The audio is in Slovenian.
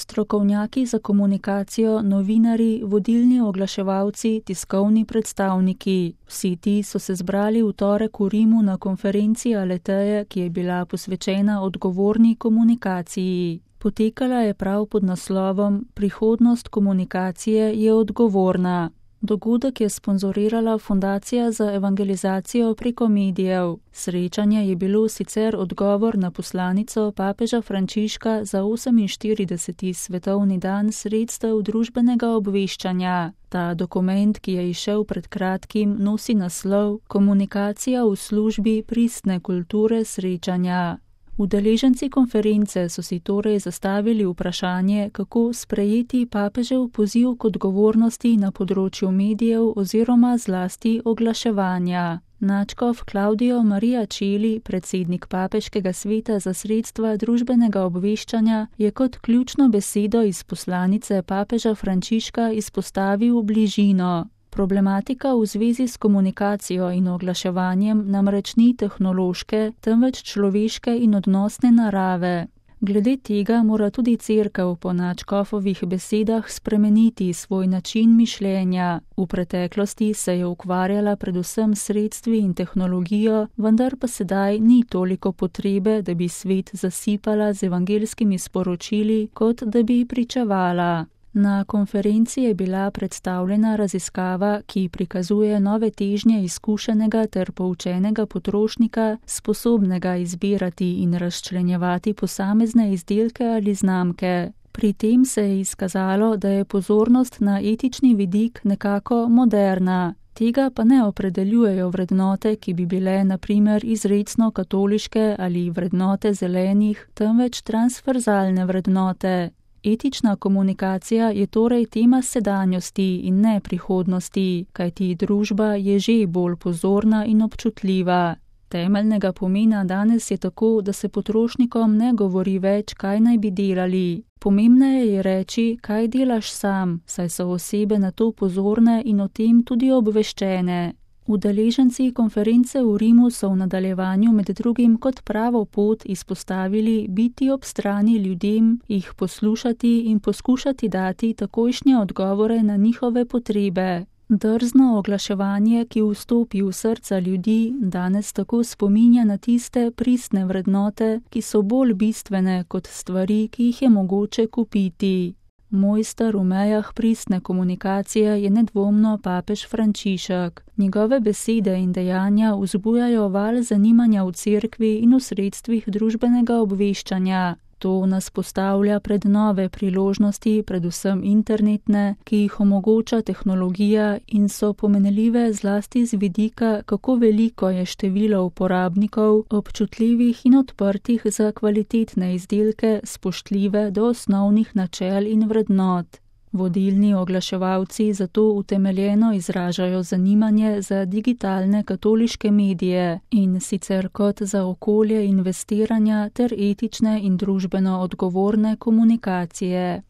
Strokovnjaki za komunikacijo, novinarji, vodilni oglaševalci, tiskovni predstavniki. Vsi ti so se zbrali v torek v Rimu na konferenci Aleteje, ki je bila posvečena odgovorni komunikaciji. Potekala je prav pod naslovom Prihodnost komunikacije je odgovorna. Dogodek je sponzorirala Fundacija za evangelizacijo preko medijev. Srečanje je bilo sicer odgovor na poslanico papeža Frančiška za 48. svetovni dan sredstev družbenega obveščanja. Ta dokument, ki je izšel pred kratkim, nosi naslov Komunikacija v službi pristne kulture srečanja. Udeleženci konference so si torej zastavili vprašanje, kako sprejeti papežev poziv k odgovornosti na področju medijev oziroma zlasti oglaševanja. Nadškof Claudio Maria Celi, predsednik Papeškega sveta za sredstva družbenega obveščanja, je kot ključno besedo iz poslanice papeža Frančiška izpostavil bližino. Problematika v zvezi s komunikacijo in oglaševanjem namreč ni tehnološke, temveč človeške in odnosne narave. Glede tega mora tudi Cerkev po nadškofovih besedah spremeniti svoj način mišljenja. V preteklosti se je ukvarjala predvsem s sredstvi in tehnologijo, vendar pa sedaj ni toliko potrebe, da bi svet zasipala z evangelskimi sporočili, kot da bi pričevala. Na konferenci je bila predstavljena raziskava, ki prikazuje nove težnje izkušenega ter poučenega potrošnika, sposobnega izbirati in razčlenjevati posamezne izdelke ali znamke. Pri tem se je izkazalo, da je pozornost na etični vidik nekako moderna. Tega pa ne opredeljujejo vrednote, ki bi bile na primer izrecno katoliške ali vrednote zelenih, temveč transverzalne vrednote. Etična komunikacija je torej tema sedanjosti in ne prihodnosti, kajti družba je že bolj pozorna in občutljiva. Temeljnega pomena danes je tako, da se potrošnikom ne govori več, kaj naj bi delali. Pomembneje je reči, kaj delaš sam, saj so osebe na to pozorne in o tem tudi obveščene. Udeleženci konference v Rimu so v nadaljevanju med drugim kot pravo pot izpostavili biti ob strani ljudem, jih poslušati in poskušati dati takojšnje odgovore na njihove potrebe. Drzno oglaševanje, ki vstopi v srca ljudi, danes tako spominja na tiste pristne vrednote, ki so bolj bistvene kot stvari, ki jih je mogoče kupiti. Mojster v mejah pristne komunikacije je nedvomno papež Frančišek. Njegove besede in dejanja vzbujajo val zanimanja v cerkvi in v sredstvih družbenega obveščanja. To nas postavlja pred nove priložnosti, predvsem internetne, ki jih omogoča tehnologija in so pomenljive zlasti z vidika, kako veliko je število uporabnikov, občutljivih in odprtih za kvalitetne izdelke, spoštljive do osnovnih načel in vrednot. Vodilni oglaševalci zato utemeljeno izražajo zanimanje za digitalne katoliške medije in sicer kot za okolje investiranja ter etične in družbeno odgovorne komunikacije.